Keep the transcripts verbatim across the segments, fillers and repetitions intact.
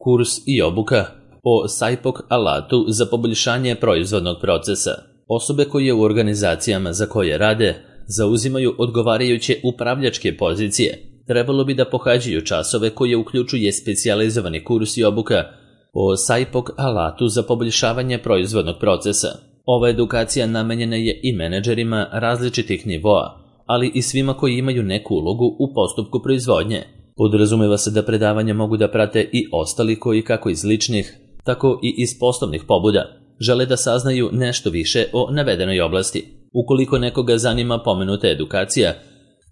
kurs i obuka o SAIPOC alatu za poboljšanje proizvodnog procesa. Osobe koje u organizacijama za koje rade zauzimaju odgovarajuće upravljačke pozicije trebalo bi da pohađaju časove koje uključuje specijalizovani kurs i obuka o SAIPOC alatu za poboljšavanje proizvodnog procesa. Ova edukacija namenjena je i menadžerima različitih nivoa, ali i svima koji imaju neku ulogu u postupku proizvodnje. Podrazumeva se da predavanja mogu da prate i ostali koji kako iz ličnih, tako i iz poslovnih pobuda žele da saznaju nešto više o navedenoj oblasti. Ukoliko nekoga zanima pomenuta edukacija,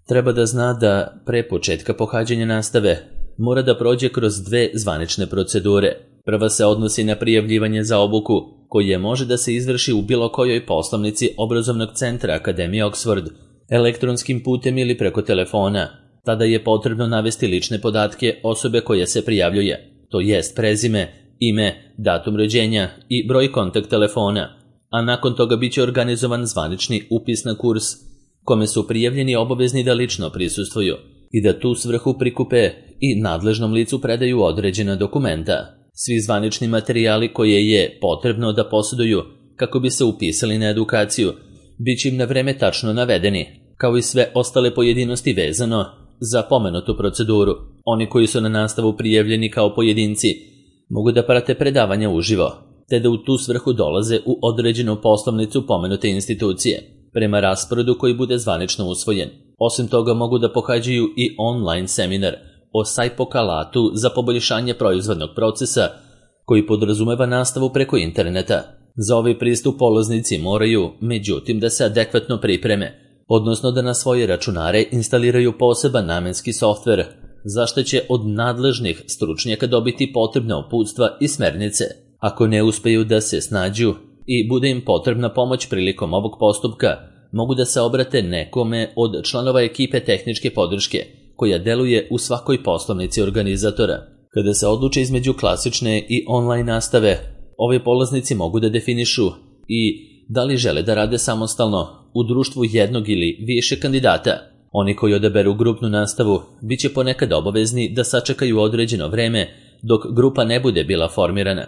treba da zna da pre početka pohađanja nastave mora da prođe kroz dve zvanične procedure. Prva se odnosi na prijavljivanje za obuku, koje može da se izvrši u bilo kojoj poslovnici obrazovnog centra Akademije Oxford, elektronskim putem ili preko telefona. Tada je potrebno navesti lične podatke osobe koja se prijavljuje, to jest prezime, ime, datum rođenja i broj kontakt telefona, a nakon toga biće organizovan zvanični upis na kurs, kome su prijavljeni obavezni da lično prisustvuju i da tu svrhu prikupe i nadležnom licu predaju određena dokumenta. Svi zvanični materijali koje je potrebno da posjeduju kako bi se upisali na edukaciju bit će im na vreme tačno navedeni, kao i sve ostale pojedinosti vezano za pomenutu proceduru. Oni koji su na nastavu prijavljeni kao pojedinci mogu da prate predavanja uživo, te da u tu svrhu dolaze u određenu poslovnicu pomenute institucije, prema rasporedu koji bude zvanično usvojen. Osim toga mogu da pohađaju i online seminar o SAIPOC alatu za poboljšanje proizvodnog procesa, koji podrazumeva nastavu preko interneta. Za ovaj pristup polaznici moraju, međutim, da se adekvatno pripreme, odnosno da na svoje računare instaliraju poseban namenski softver, za što će od nadležnih stručnjaka dobiti potrebna uputstva i smernice. Ako ne uspeju da se snađu i bude im potrebna pomoć prilikom ovog postupka, mogu da se obrate nekome od članova ekipe tehničke podrške, koja deluje u svakoj poslovnici organizatora. Kada se odluče između klasične i online nastave, ovi polaznici mogu da definišu i da li žele da rade samostalno u društvu jednog ili više kandidata. Oni koji odaberu grupnu nastavu bit će ponekad obavezni da sačekaju određeno vreme dok grupa ne bude bila formirana.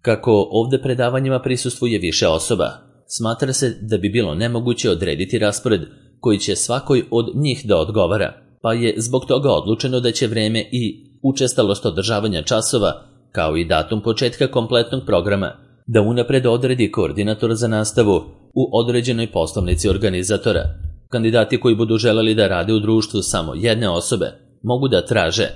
Kako ovde predavanjima prisustvuje više osoba, smatra se da bi bilo nemoguće odrediti raspored koji će svakoj od njih da odgovara, pa je zbog toga odlučeno da će vreme i učestalost održavanja časova, kao i datum početka kompletnog programa, da unapred odredi koordinator za nastavu u određenoj poslovnici organizatora. Kandidati koji budu želeli da rade u društvu samo jedne osobe mogu da traže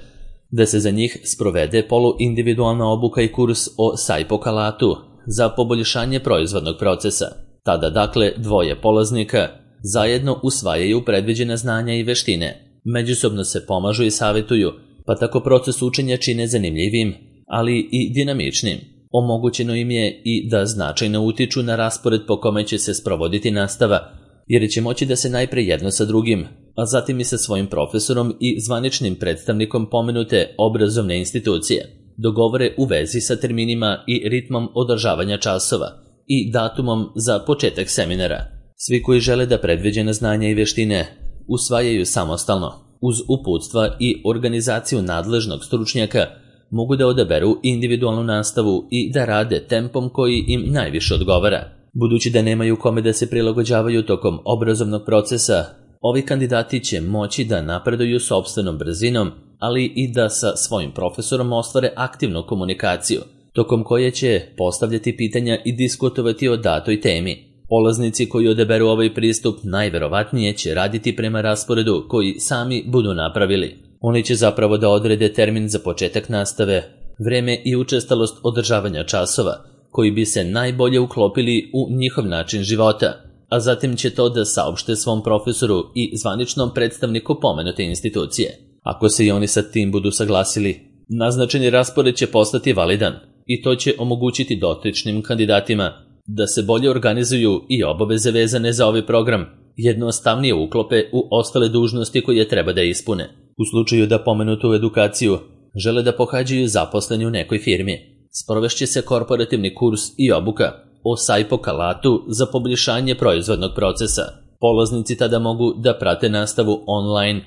da se za njih sprovede poluindividualna obuka i kurs o SAIPOC alatu za poboljšanje proizvodnog procesa. Tada dakle dvoje polaznika zajedno usvajaju predviđena znanja i veštine, međusobno se pomažu i savjetuju, pa tako proces učenja čine zanimljivim, ali i dinamičnim. Omogućeno im je i da značajno utiču na raspored po kome će se sprovoditi nastava, jer će moći da se najpre jedno sa drugim, a zatim i sa svojim profesorom i zvaničnim predstavnikom pomenute obrazovne institucije dogovore u vezi sa terminima i ritmom održavanja časova i datumom za početak seminara. Svi koji žele da predviđena znanja i veštine usvajaju samostalno, uz uputstva i organizaciju nadležnog stručnjaka, mogu da odaberu individualnu nastavu i da rade tempom koji im najviše odgovara. Budući da nemaju kome da se prilagođavaju tokom obrazovnog procesa, ovi kandidati će moći da napreduju sopstvenom brzinom, ali i da sa svojim profesorom ostvare aktivnu komunikaciju, tokom koje će postavljati pitanja i diskutovati o datoj temi. Polaznici koji odaberu ovaj pristup najverovatnije će raditi prema rasporedu koji sami budu napravili. Oni će zapravo da odrede termin za početak nastave, vreme i učestalost održavanja časova, koji bi se najbolje uklopili u njihov način života, a zatim će to da saopšte svom profesoru i zvaničnom predstavniku pomenute institucije. Ako se i oni sa tim budu saglasili, naznačeni raspored će postati validan i to će omogućiti dotičnim kandidatima da se bolje organizuju i obaveze vezane za ovaj program jednostavnije uklope u ostale dužnosti koje treba da ispune. U slučaju da pomenutu edukaciju žele da pohađaju zaposleni u nekoj firmi, sprovešće se korporativni kurs i obuka o SAIPOC alatu za poboljšanje proizvodnog procesa. Polaznici tada mogu da prate nastavu online,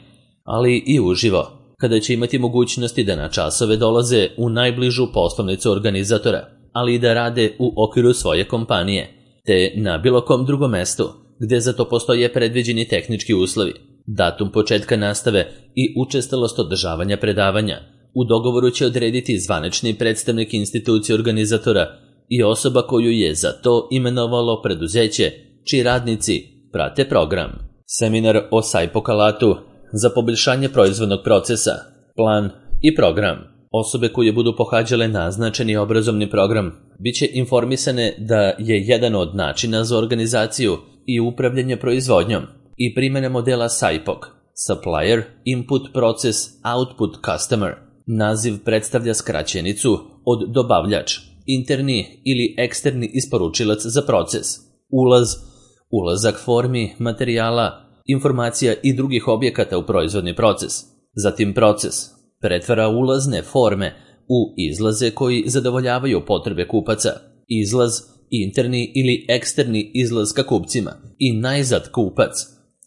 ali i uživo, kada će imati mogućnosti da na časove dolaze u najbližu poslovnicu organizatora, ali i da rade u okviru svoje kompanije, te na bilo kom drugom mestu gde za to postoje predviđeni tehnički uslovi, datum početka nastave i učestalost održavanja predavanja. U dogovoru će odrediti zvanični predstavnik institucije organizatora i osoba koju je za to imenovalo preduzeće, čiji radnici prate program. Seminar o SAIPOK alatu za poboljšanje proizvodnog procesa, plan i program. Osobe koje budu pohađale naznačeni obrazovni program biće informisane da je jedan od načina za organizaciju i upravljanje proizvodnjom i primjene modela SAIPOK, Supplier Input Process Output Customer. Naziv predstavlja skraćenicu od dobavljač, interni ili eksterni isporučilac za proces, ulaz, ulazak formi, materijala, informacija i drugih objekata u proizvodni proces. Zatim proces pretvara ulazne forme u izlaze koji zadovoljavaju potrebe kupaca, izlaz, interni ili eksterni izlaz ka kupcima i najzad kupac,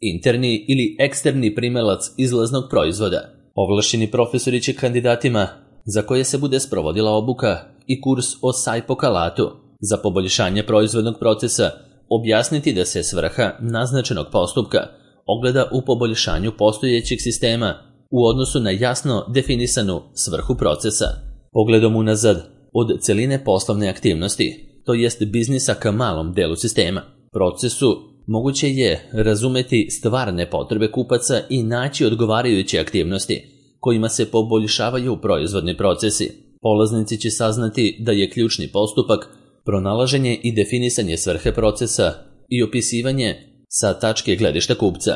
interni ili eksterni primalac izlaznog proizvoda. Ovlašćeni profesori će kandidatima za koje se bude sprovodila obuka i kurs o SAIPOK alatu za poboljšanje proizvodnog procesa objasniti da se svrha naznačenog postupka ogleda u poboljšanju postojećeg sistema u odnosu na jasno definisanu svrhu procesa. Pogledom unazad od celine poslovne aktivnosti, to jest biznisa ka malom delu sistema, procesu, moguće je razumeti stvarne potrebe kupaca i naći odgovarajuće aktivnosti kojima se poboljšavaju proizvodni procesi. Polaznici će saznati da je ključni postupak pronalaženje i definisanje svrhe procesa i opisivanje sa tačke gledišta kupca.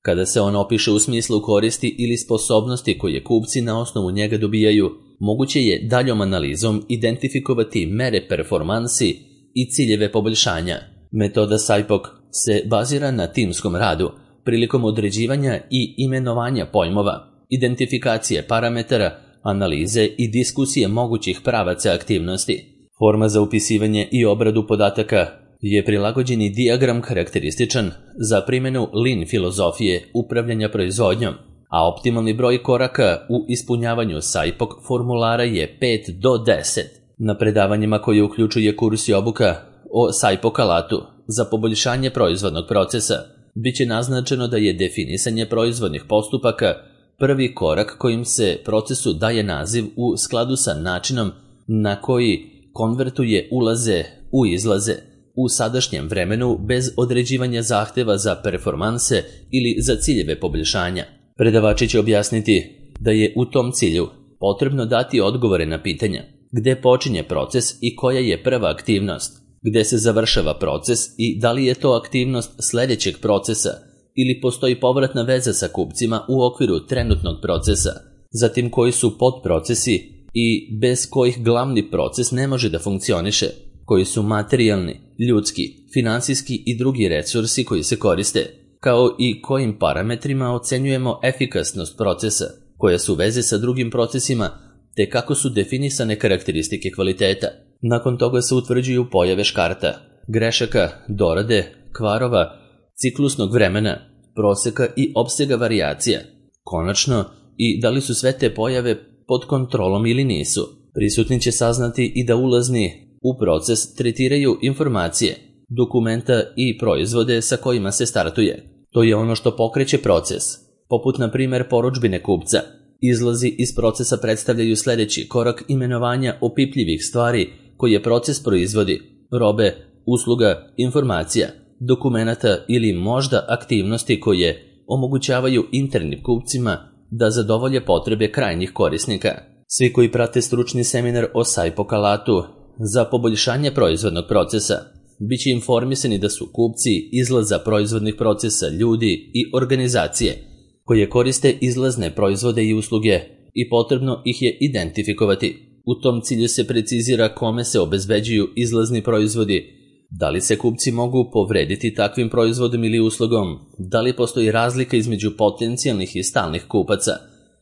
Kada se on opiše u smislu koristi ili sposobnosti koje kupci na osnovu njega dobijaju, moguće je daljom analizom identifikovati mere performansi i ciljeve poboljšanja. Metoda SAIPOK se bazira na timskom radu prilikom određivanja i imenovanja pojmova, identifikacije parametara, analize i diskusije mogućih pravaca aktivnosti. Forma za upisivanje i obradu podataka je prilagođeni dijagram karakterističan za primjenu Lean filozofije upravljanja proizvodnjom, a optimalni broj koraka u ispunjavanju SAIPOK formulara je pet do deset. Na predavanjima koje uključuje kurs i obuka o SAIPOK alatu za poboljšanje proizvodnog procesa, bit će naznačeno da je definisanje proizvodnih postupaka prvi korak kojim se procesu daje naziv u skladu sa načinom na koji konvertuje ulaze u izlaze u sadašnjem vremenu bez određivanja zahteva za performanse ili za ciljeve poboljšanja. Predavači će objasniti da je u tom cilju potrebno dati odgovore na pitanja gde počinje proces i koja je prva aktivnost, gde se završava proces i da li je to aktivnost sledećeg procesa ili postoji povratna veza sa kupcima u okviru trenutnog procesa, zatim koji su podprocesi i bez kojih glavni proces ne može da funkcioniše, koji su materijalni, ljudski, finansijski i drugi resursi koji se koriste, kao i kojim parametrima ocenjujemo efikasnost procesa, koje su veze sa drugim procesima, te kako su definisane karakteristike kvaliteta. Nakon toga se utvrđuju pojave škarta, grešaka, dorade, kvarova, ciklusnog vremena, proseka i opsega varijacija. Konačno, i da li su sve te pojave pod kontrolom ili nisu. Prisutni će saznati i da ulazni u proces tretiraju informacije, dokumenta i proizvode sa kojima se startuje. To je ono što pokreće proces, poput na primjer porudžbine kupca. Izlazi iz procesa predstavljaju sledeći korak imenovanja opipljivih stvari koje proces proizvodi, robe, usluga, informacija, dokumenata ili možda aktivnosti koje omogućavaju internim kupcima da zadovolje potrebe krajnjih korisnika. Svi koji prate stručni seminar o SAIPOK alatu za poboljšanje proizvodnog procesa bit će informisani da su kupci izlaza proizvodnih procesa ljudi i organizacije koje koriste izlazne proizvode i usluge i potrebno ih je identifikovati. U tom cilju se precizira kome se obezbeđuju izlazni proizvodi, da li se kupci mogu povrediti takvim proizvodom ili uslugom, da li postoji razlika između potencijalnih i stalnih kupaca,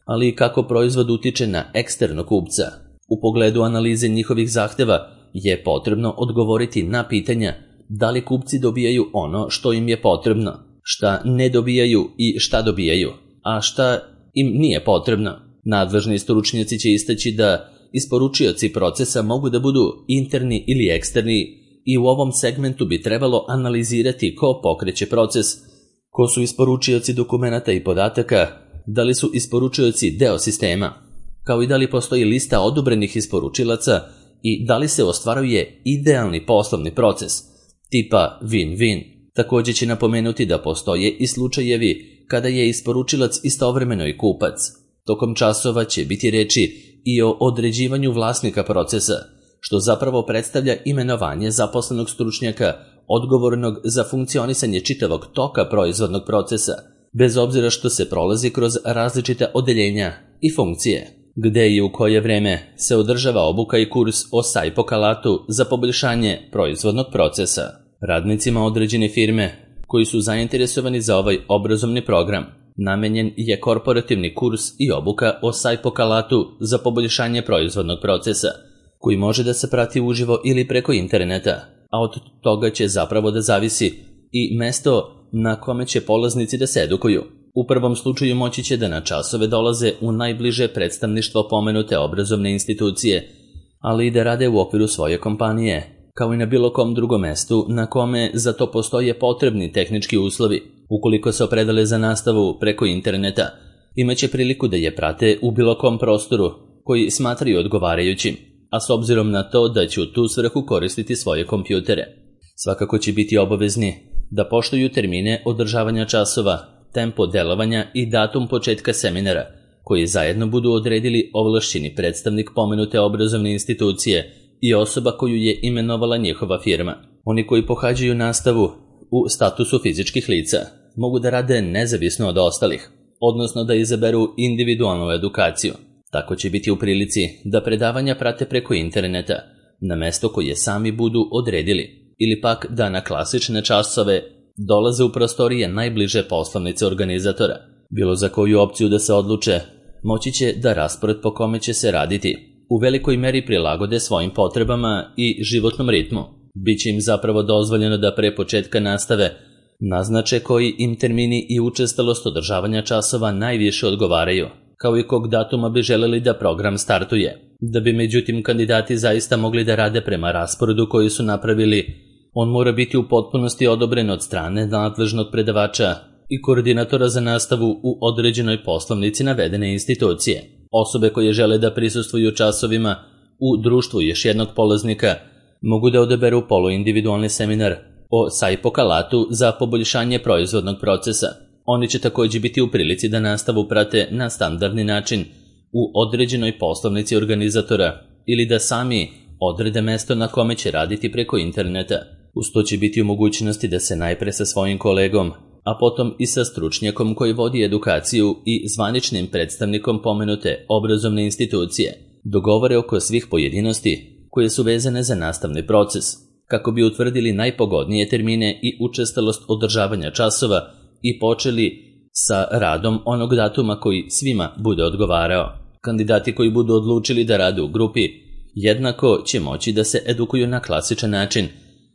ali i kako proizvod utiče na eksterno kupca. U pogledu analize njihovih zahteva je potrebno odgovoriti na pitanja da li kupci dobijaju ono što im je potrebno, šta ne dobijaju i šta dobijaju, a šta im nije potrebno. Nadležni stručnjaci će istaći da isporučioci procesa mogu da budu interni ili eksterni i u ovom segmentu bi trebalo analizirati ko pokreće proces, ko su isporučioci dokumenata i podataka, da li su isporučioci deo sistema, kao i da li postoji lista odobrenih isporučilaca i da li se ostvaruje idealni poslovni proces, tipa win-win. Također će napomenuti da postoje i slučajevi kada je isporučilac istovremeno i kupac. Tokom časova će biti reči i o određivanju vlasnika procesa, što zapravo predstavlja imenovanje zaposlenog stručnjaka odgovornog za funkcionisanje čitavog toka proizvodnog procesa, bez obzira što se prolazi kroz različita odeljenja i funkcije, gde i u koje vreme se održava obuka i kurs o S A I P O K alatu za poboljšanje proizvodnog procesa. Radnicima određene firme koji su zainteresovani za ovaj obrazovni program namenjen je korporativni kurs i obuka o S A I P O K alatu za poboljšanje proizvodnog procesa, koji može da se prati uživo ili preko interneta, a od toga će zapravo da zavisi i mesto na kome će polaznici da se edukuju. U prvom slučaju moći će da na časove dolaze u najbliže predstavništvo pomenute obrazovne institucije, ali i da rade u okviru svoje kompanije, kao i na bilo kom drugom mestu na kome za to postoje potrebni tehnički uslovi. Ukoliko se opredele za nastavu preko interneta, imaće priliku da je prate u bilo kom prostoru koji smatraju odgovarajućim, a s obzirom na to da će u tu svrhu koristiti svoje kompjutere. Svakako će biti obavezni da poštuju termine održavanja časova, tempo delovanja i datum početka seminara, koji zajedno budu odredili ovlašćeni predstavnik pomenute obrazovne institucije i osoba koju je imenovala njihova firma. Oni koji pohađaju nastavu u statusu fizičkih lica mogu da rade nezavisno od ostalih, odnosno da izaberu individualnu edukaciju. Tako će biti u prilici da predavanja prate preko interneta, na mesto koje sami budu odredili, ili pak da na klasične časove dolaze u prostorije najbliže poslovnice organizatora. Bilo za koju opciju da se odluče, moći će da raspored po kome će se raditi u velikoj meri prilagode svojim potrebama i životnom ritmu. Biće im zapravo dozvoljeno da pre početka nastave naznače koji im termini i učestalost održavanja časova najviše odgovaraju, kao i kog datuma bi želeli da program startuje. Da bi međutim kandidati zaista mogli da rade prema rasporedu koji su napravili, on mora biti u potpunosti odobren od strane nadležnog predavača i koordinatora za nastavu u određenoj poslovnici navedene institucije. Osobe koje žele da prisustvuju časovima u društvu još jednog polaznika mogu da odaberu poluindividualni seminar o S A I P O K alatu za poboljšanje proizvodnog procesa. Oni će također biti u prilici da nastavu prate na standardni način u određenoj poslovnici organizatora ili da sami odrede mesto na kome će raditi preko interneta. Uz to će biti u mogućnosti da se najpre sa svojim kolegom, a potom i sa stručnjakom koji vodi edukaciju i zvaničnim predstavnikom pomenute obrazovne institucije dogovore oko svih pojedinosti koje su vezane za nastavni proces, kako bi utvrdili najpogodnije termine i učestalost održavanja časova i počeli sa radom onog datuma koji svima bude odgovarao. Kandidati koji budu odlučili da rade u grupi jednako će moći da se edukuju na klasičan način,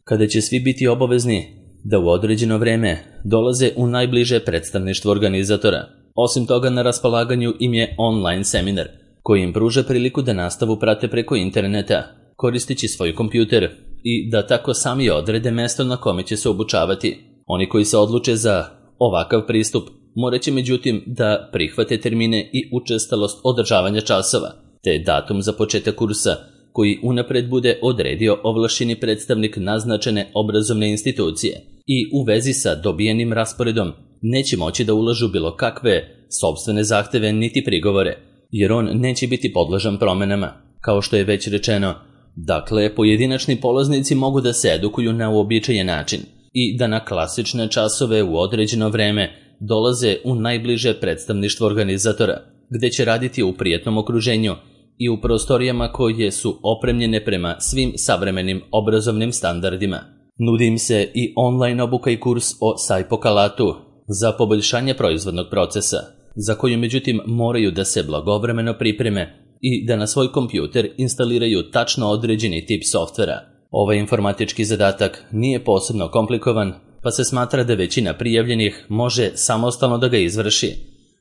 kada će svi biti obavezni da u određeno vreme dolaze u najbliže predstavništvo organizatora. Osim toga, na raspolaganju im je online seminar, koji im pruža priliku da nastavu prate preko interneta, koristeći svoj kompjuter i da tako sami odrede mesto na kome će se obučavati. Oni koji se odluče za ovakav pristup morat će međutim da prihvate termine i učestalost održavanja časova, te datum za početak kursa koji unapred bude odredio ovlašćeni predstavnik naznačene obrazovne institucije i u vezi sa dobijenim rasporedom neće moći da ulažu bilo kakve sopstvene zahteve niti prigovore, jer on neće biti podložan promenama. Kao što je već rečeno, dakle, pojedinačni polaznici mogu da se edukuju na uobičajen način i da na klasične časove u određeno vreme dolaze u najbliže predstavništvo organizatora, gde će raditi u prijatnom okruženju i u prostorijama koje su opremljene prema svim savremenim obrazovnim standardima. Nudi im se i online obuka i kurs o S A I P O K alatu za poboljšanje proizvodnog procesa, za koju međutim moraju da se blagovremeno pripreme i da na svoj kompjuter instaliraju tačno određeni tip softvera. Ovaj informatički zadatak nije posebno komplikovan, pa se smatra da većina prijavljenih može samostalno da ga izvrši,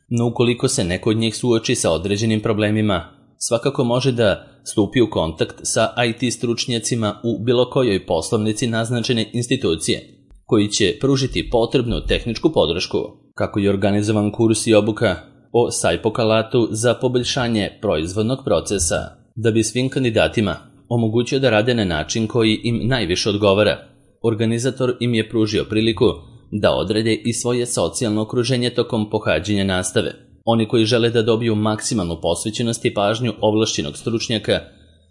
No ukoliko se neko od njih suoči sa određenim problemima, svakako može da stupi u kontakt sa I T stručnjacima u bilo kojoj poslovnici naznačene institucije, koji će pružiti potrebnu tehničku podršku. Kako je organizovan kurs i obuka o SIPOC alatu za poboljšanje proizvodnog procesa, da bi svim kandidatima omogućio da rade na način koji im najviše odgovara. Organizator im je pružio priliku da odrede i svoje socijalno okruženje tokom pohađanja nastave. Oni koji žele da dobiju maksimalnu posvećenost i pažnju ovlašćenog stručnjaka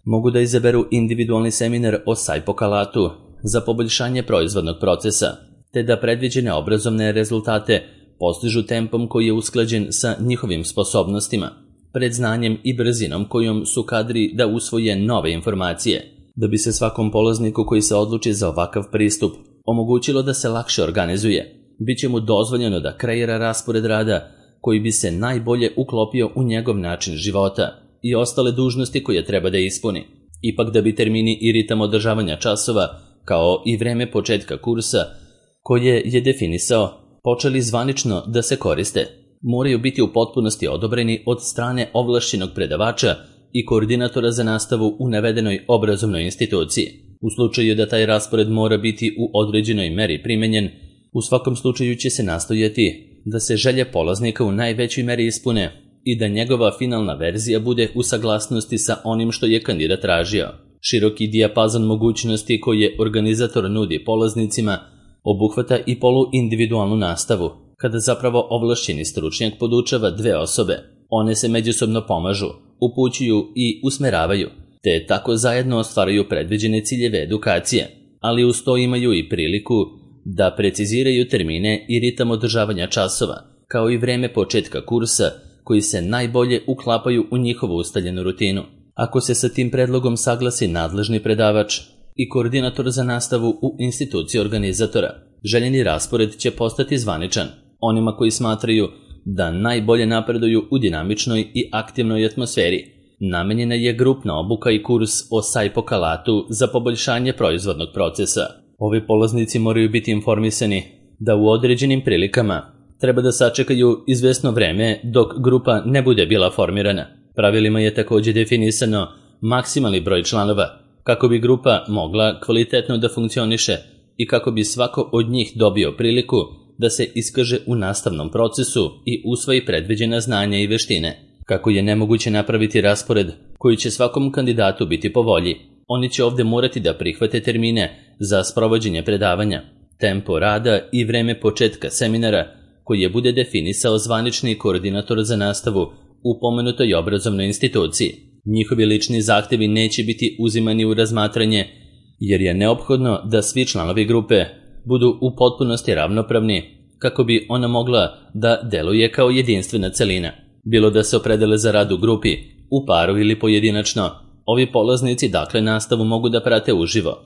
mogu da izaberu individualni seminar o SIPOC alatu za poboljšanje proizvodnog procesa, te da predviđene obrazovne rezultate postižu tempom koji je usklađen sa njihovim sposobnostima, predznanjem i brzinom kojom su kadri da usvoje nove informacije. Da bi se svakom polazniku koji se odluči za ovakav pristup omogućilo da se lakše organizuje, bit će mu dozvoljeno da kreira raspored rada koji bi se najbolje uklopio u njegov način života i ostale dužnosti koje treba da ispuni. Ipak da bi termini i ritam održavanja časova, kao i vreme početka kursa, koje je definisao, počeli zvanično da se koriste, moraju biti u potpunosti odobreni od strane ovlašćenog predavača i koordinatora za nastavu u navedenoj obrazovnoj instituciji. U slučaju da taj raspored mora biti u određenoj meri primenjen, u svakom slučaju će se nastojati da se želje polaznika u najvećoj meri ispune i da njegova finalna verzija bude u saglasnosti sa onim što je kandidat tražio. Široki dijapazon mogućnosti koje organizator nudi polaznicima obuhvata i poluindividualnu nastavu, kada zapravo ovlašćeni stručnjak podučava dve osobe. One se međusobno pomažu, upućuju i usmeravaju, te tako zajedno ostvaraju predviđene ciljeve edukacije, ali uz to imaju i priliku da preciziraju termine i ritam održavanja časova, kao i vreme početka kursa, koji se najbolje uklapaju u njihovu ustaljenu rutinu. Ako se sa tim predlogom saglasi nadležni predavač i koordinator za nastavu u instituciji organizatora, željeni raspored će postati zvaničan. Onima koji smatraju da najbolje napreduju u dinamičnoj i aktivnoj atmosferi, namenjena je grupna obuka i kurs o SIPOC alatu za poboljšanje proizvodnog procesa. Ovi polaznici moraju biti informisani da u određenim prilikama treba da sačekaju izvesno vreme dok grupa ne bude bila formirana. Pravilima je također definisano maksimalni broj članova, kako bi grupa mogla kvalitetno da funkcioniše i kako bi svako od njih dobio priliku da se iskaže u nastavnom procesu i usvoji predviđena znanja i veštine. Kako je nemoguće napraviti raspored koji će svakom kandidatu biti po volji, oni će ovdje morati da prihvate termine za sprovođenje predavanja, tempo rada i vreme početka seminara koji je bude definisao zvanični koordinator za nastavu u pomenutoj obrazovnoj instituciji. Njihovi lični zahtevi neće biti uzimani u razmatranje, jer je neophodno da svi članovi grupe budu u potpunosti ravnopravni kako bi ona mogla da deluje kao jedinstvena celina. Bilo da se opredele za rad u grupi, u paru ili pojedinačno, ovi polaznici dakle nastavu mogu da prate uživo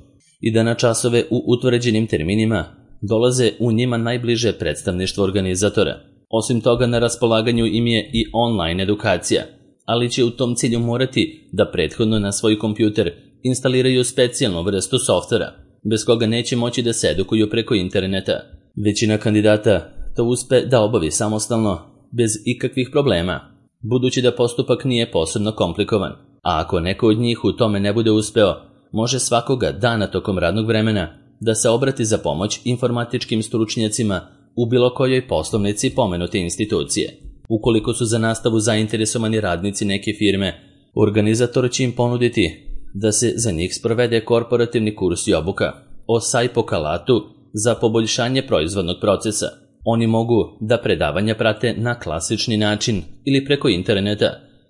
i da na časove u utvrđenim terminima dolaze u njima najbliže predstavništvo organizatora. Osim toga, na raspolaganju im je i online edukacija, ali će u tom cilju morati da prethodno na svoj kompjuter instaliraju specijalnu vrstu softvera, bez koga neće moći da se edukuju preko interneta. Većina kandidata to uspe da obavi samostalno, bez ikakvih problema, budući da postupak nije posebno komplikovan. A ako neko od njih u tome ne bude uspeo, može svakoga dana tokom radnog vremena da se obrati za pomoć informatičkim stručnjacima u bilo kojoj poslovnici pomenute institucije. Ukoliko su za nastavu zainteresovani radnici neke firme, organizator će im ponuditi da se za njih sprovede korporativni kurs i obuka o SIPOC alatu za poboljšanje proizvodnog procesa. Oni mogu da predavanja prate na klasični način ili preko interneta,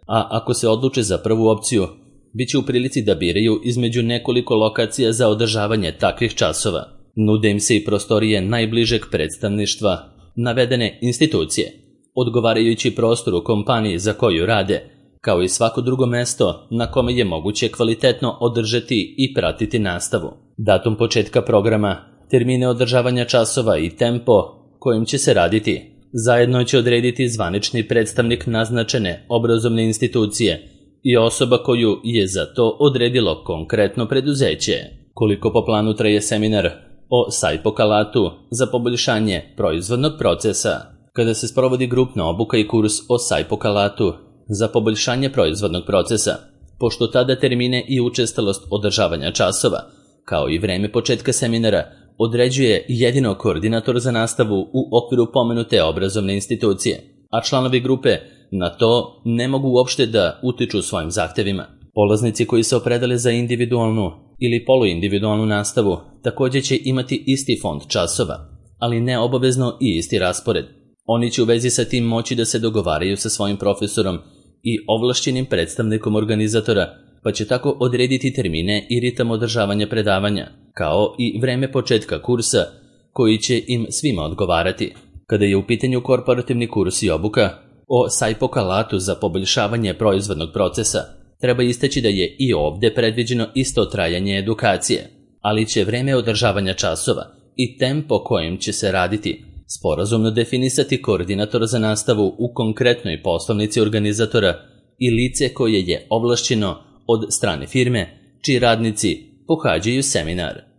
a ako se odluče za prvu opciju, bit će u prilici da biraju između nekoliko lokacija za održavanje takvih časova. Nude im se i prostorije najbližeg predstavništva navedene institucije, odgovarajući prostoru kompaniji za koju rade, kao i svako drugo mesto na kome je moguće kvalitetno održati i pratiti nastavu. Datum početka programa, termine održavanja časova i tempo kojim će se raditi zajedno će odrediti zvanični predstavnik naznačene obrazovne institucije i osoba koju je za to odredilo konkretno preduzeće. Koliko po planu traje seminar o SIPOC alatu za poboljšanje proizvodnog procesa? kada se sprovodi grupna obuka i kurs o SAIPOK alatu za poboljšanje proizvodnog procesa, pošto tada termine i učestalost održavanja časova, kao i vreme početka seminara, određuje jedino koordinator za nastavu u okviru pomenute obrazovne institucije, a članovi grupe na to ne mogu uopšte da utiču svojim zahtevima. Polaznici koji se opredele za individualnu ili poluindividualnu nastavu također će imati isti fond časova, ali ne obavezno i isti raspored. Oni će u vezi sa tim moći da se dogovaraju sa svojim profesorom i ovlašćenim predstavnikom organizatora, pa će tako odrediti termine i ritam održavanja predavanja, kao i vreme početka kursa koji će im svima odgovarati. Kada je u pitanju korporativni kurs i obuka o SAIPOK alatu za poboljšavanje proizvodnog procesa, treba istaći da je i ovdje predviđeno isto trajanje edukacije, ali će vreme održavanja časova i tempo kojim će se raditi sporazumno definisati koordinator za nastavu u konkretnoj poslovnici organizatora i lice koje je ovlašćeno od strane firme čiji radnici pohađaju seminar.